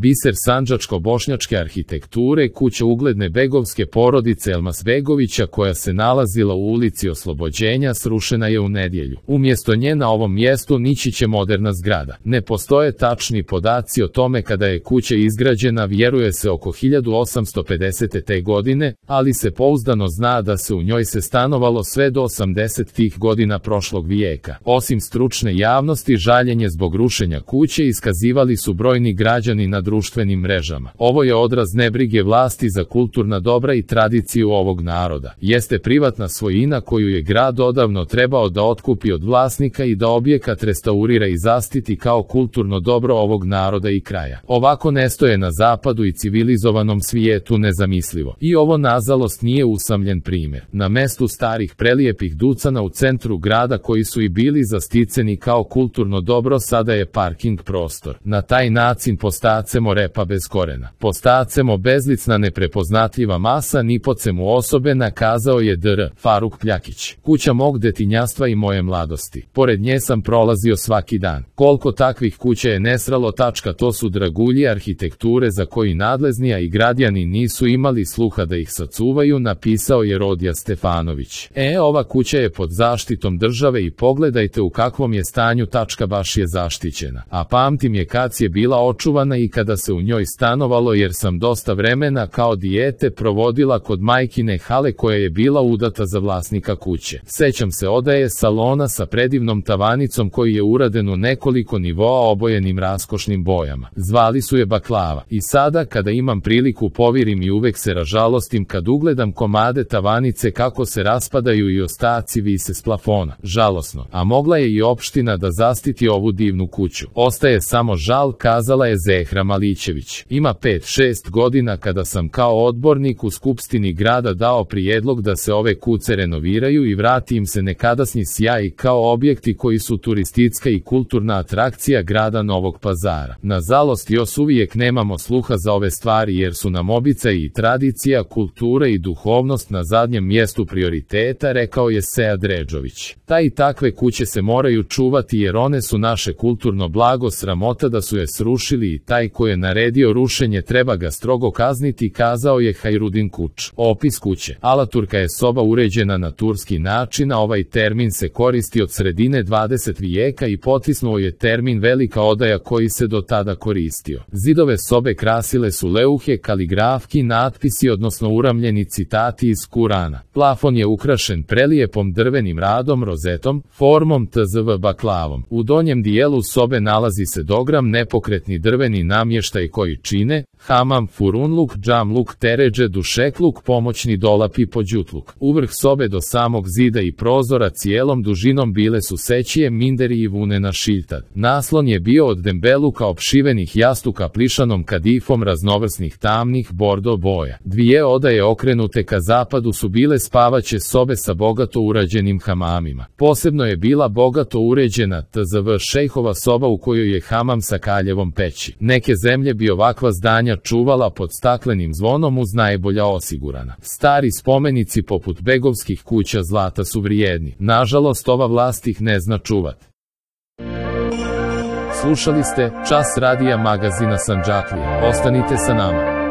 Biser sandžačko-bošnjačke arhitekture, kuća ugledne begovske porodice Elmasbegovića koja se nalazila u ulici Oslobođenja srušena je u nedjelju. Umjesto nje na ovom mjestu nići će moderna zgrada. Ne postoje tačni podaci o tome kada je kuća izgrađena, vjeruje se oko 1850. godine, ali se pouzdano zna da se u njoj se stanovalo sve do 80. godina prošlog vijeka. Osim stručne javnosti, žaljenje zbog rušenja kuće iskazivali su brojni građani na društvenim mrežama. Ovo je odraz nebrige vlasti za kulturna dobra i tradiciju ovog naroda. Jeste privatna svojina koju je grad odavno trebao da otkupi od vlasnika i da objekat restaurira i zaštiti kao kulturno dobro ovog naroda i kraja. Ovako ne stoje na zapadu i civilizovanom svijetu, nezamislivo. I ovo nažalost nije usamljen primjer. Na mestu starih prelijepih ducana u centru grada koji su i bili zasticeni kao kulturno dobro sada je parking prostor. Na taj način postacemo repa bez korena. Postacemo bezlicna neprepoznatljiva masa nipocemu osobe, nakazao je dr. Faruk Pljakić. Kuća mog detinjastva i moje mladosti. Pored nje sam prolazio svaki dan. Koliko takvih kuća je nesralo. To su dragulji arhitekture za koji nadležni i građani nisu imali sluha da ih sačuvaju, napisao je Rodija Stefanović. Ova kuća je pod zaštitom države i pogledajte u kakvom je stanju. Baš je zaštićena. A pamtim je kad je bila očuvana i kada se u njoj stanovalo, jer sam dosta vremena kao dijete provodila kod majkine Hale koja je bila udata za vlasnika kuće. Sećam se odaje salona sa predivnom tavanicom koji je uraden u nekoliko nivoa obojenim raskošnim bojama. Zvali su je Baklava. I sada kada imam priliku povirim i uvek se ražalostim kad ugledam komade tavanice kako se raspadaju i ostaci vise s plafona. Žalosno. A mogla je i opština da zaštiti ovu divnu kuću. Ostaje samo žal, kazala je Zehra Malićević. Ima 5-6 godina kada sam kao odbornik u Skupštini grada dao prijedlog da se ove kuće renoviraju i vrati im se nekadašnji sjaj kao objekti koji su turistička i kulturna atrakcija grada Novog Pazara. Nažalost, još uvijek nemamo sluha za ove stvari jer su nam običaj i tradicija, kultura i duhovnost na zadnjem mjestu prioriteta, rekao je Sead Redžović. I takve kuće se moraju čuvati jer one su naše kulturno blago, sramota da su je srušili i taj ko je naredio rušenje treba ga strogo kazniti, kazao je Hajrudin Kuč. Opis kuće. Alaturka je soba uređena na turski način, a ovaj termin se koristi od sredine 20. vijeka i potisnuo je termin velika odaja koji se do tada koristio. Zidove sobe krasile su leuhe, kaligrafki, natpisi odnosno uramljeni citati iz Kurana. Plafon je ukrašen prelijepom drvenim radom, rozetom, formom tzv baklavom. U donjem dijelu sobe nalazi se dogram, nepokretni drveni namještaj koji čine hamam, furunluk, džamluk, teređe, dušekluk, pomoćni dolap i pođutluk. Uvrh sobe do samog zida i prozora cijelom dužinom bile su sećije, minderi i vunena šiljtad. Naslon je bio od dembeluka opšivenih jastuka plišanom kadifom raznovrsnih tamnih bordo boja. Dvije odaje okrenute ka zapadu su bile spavaće sobe sa bogato urađenim hamamima. Posebno je bila bogato uređena tzv šejhova soba u kojoj je hamam sa kaljevom peći. Neke zemlje bi ovakva zdanja čuvala pod staklenim zvonom uz najbolja osigurana. Stari spomenici poput begovskih kuća zlata su vrijedni. Nažalost, ova vlast ih ne zna čuvati. Slušali ste Čas radija magazina Sandžaklija. Ostanite sa nama.